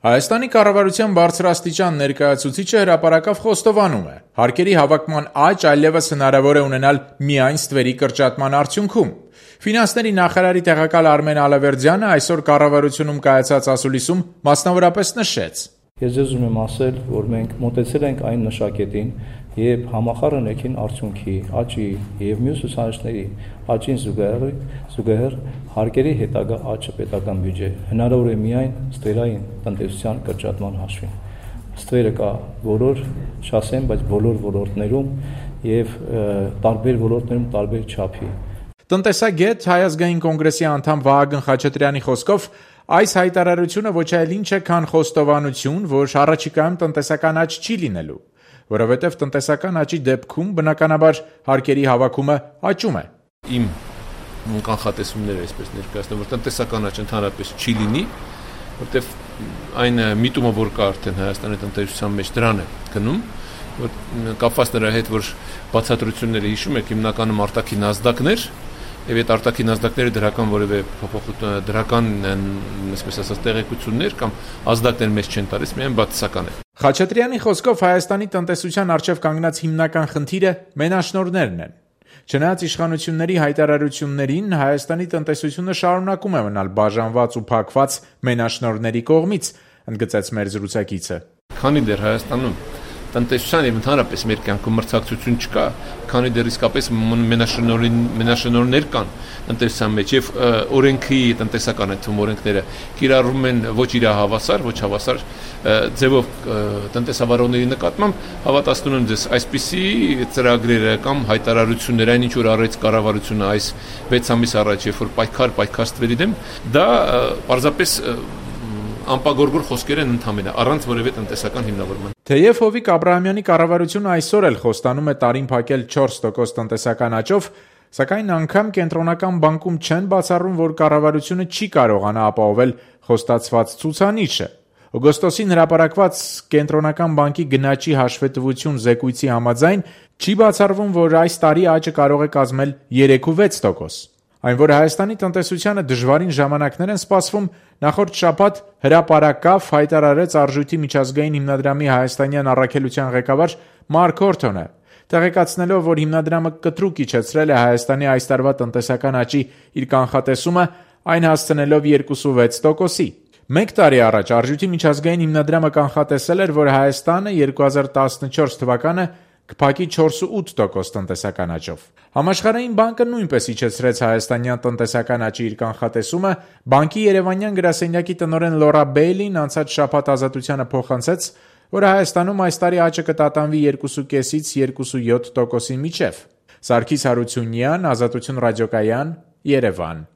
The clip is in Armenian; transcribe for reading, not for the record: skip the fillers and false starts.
Հայաստանի կառավարության բարձրաստիճան ներկայացուցիչը հրապարակավ խոստովանում է. հարկերի հավաքման աճ այլևս հնարավոր է ունենալ միայն ստվերի կրճատման արդյունքում։ Ֆինանսների նախարարի տեղակալ Արմեն Ալավերդյանը այսօր կառավարությունում կայացած ասուլիսում մասնավորապես նշեց. Ես ձեզ ուզում եմ ասել, որ մենք մոտեցել ենք այն նշակետին, երբ համախառն ներքին արդյունքի աճի եւ մյուս ցուցանիշների աճին զուգահեռ հարկերի հետագա աճը պետական բյուջե հնարավոր է միայն ստվերային տնտեսության կրճատման հաշվին։ Ստվերը կա չասեմ, բայց բոլոր ոլորտներում եւ տարբեր ոլորտներում տարբեր չափի։ Տնտեսագետ Հայ ազգային կոնգրեսի անդամ Վահագն Խաչատրյանի խոսքով այս հայտարարությունը ոչ այլ ինչ է, քան խոստովանություն, որ առաջիկայում տնտեսական աճ չի լինելու, որովհետև տնտեսական աճի դեպքում բնականաբար հարկերի հավաքումը աճում է։ Իմ կանխատեսումները այսպես ներկայացնում, որ տնտեսական աճ ընդհանրապես չի լինի, որտեղ այն միտումը, որ կա արդեն Հայաստանի տնտեսության մեջ դրան է գնում, որ կապված նրա հետ, որ բացատրությունները հիշում եք, հիմնականում արտաքին ազդակներ, եւ այդ արտաքին ազդակները դրական որևէ դրական, այսպես ասած, տեղեկություններ կամ ազդակներ մեզ չեն տալիս, միայն բացասական է։ Խաչատրյանի խոսքով Հայաստանի տնտեսության առջև կանգնած հիմնական խնդիրը մենաշնորհներն են։ Չնայած իշխանությունների հայտարարություններին, Հայաստանի տնտեսությունը շարունակում է մնալ բաժանված ու փակված մենաշնորհների կողմից, ընդգծեց մեր զրուցակիցը։ Քանի դեռ Հայաստանում տնտեսության եւ ընդհանրապես մեր կյանքում մրցակցություն չկա, քանի դեռ իսկապես մենաշնորհներ կան տնտեսության մեջ եւ օրենքի տնտեսական այդ օրենքները կիրառվում են ոչ իրահավասար, ոչ հավասար ձևով տնտեսավարողների նկատմամբ, հավատացնում եմ ձեզ, այսպիսի ծրագրերը կամ հայտարարություններ, այն ինչ որ արեց կառավարությունը այս 6 ամիս առաջ, երբ որ պայքար ստվերի դեմ, դա պարզապես անպագորգոր խոսքեր են ընդհանրապես առանց որևէ տնտեսական հիմնավորման։ Թեև Հովիկ Աբրահամյանի կառավարությունը այսօր էլ խոստանում է տարին փակել 4% տնտեսական աճով, սակայն անգամ կենտրոնական բանկում չեն բացառում, որ կառավարությունը չի կարողանա ապահովել խոստացված ցուցանիշը։ Օգոստոսին հրապարակված կենտրոնական բանկի գնաճի հաշվետվություն զեկույցի համաձայն չի բացառվում, որ այս տարի աճը կարող է կազմել 3.6%։ Այն, որ Հայաստանի տնտեսությանը դժվարին ժամանակներ են սպասվում, նախորդ շաբաթ հրապարակավ հայտարարեց Արժույթի միջազգային հիմնադրամի հայաստանյան առաքելության ղեկավար Մարկ Հորթոնը, տեղեկացնելով, որ հիմնադրամը կտրուկ իջեցրել է Հայաստանի այս տարվա տնտեսական աճի իր կանխատեսումը, այն հասցնելով 2.6%-ի։ Մեկ տարի առաջ Արժույթի միջազգային հիմնադրամը կանխատեսել էր, որ Հայաստանը 2014 թվականը կփակի 4.8% տնտեսական աճով։ Համաշխարհային բանկը նույնպես իջեցրեց հայաստանյան տնտեսական աճի իր կանխատեսումը, բանկի երևանյան գրասենյակի տնօրեն Լորա Բեյլին անցած շաբաթ Ազատությանը փոխանցեց, որ Հայաստանում այս տարի աճը կտատանվի 2.5-ից 2.7%-ի միջև։ Սարգիս Հարությունյան, Ազատություն ռադիոկայան, Երևան։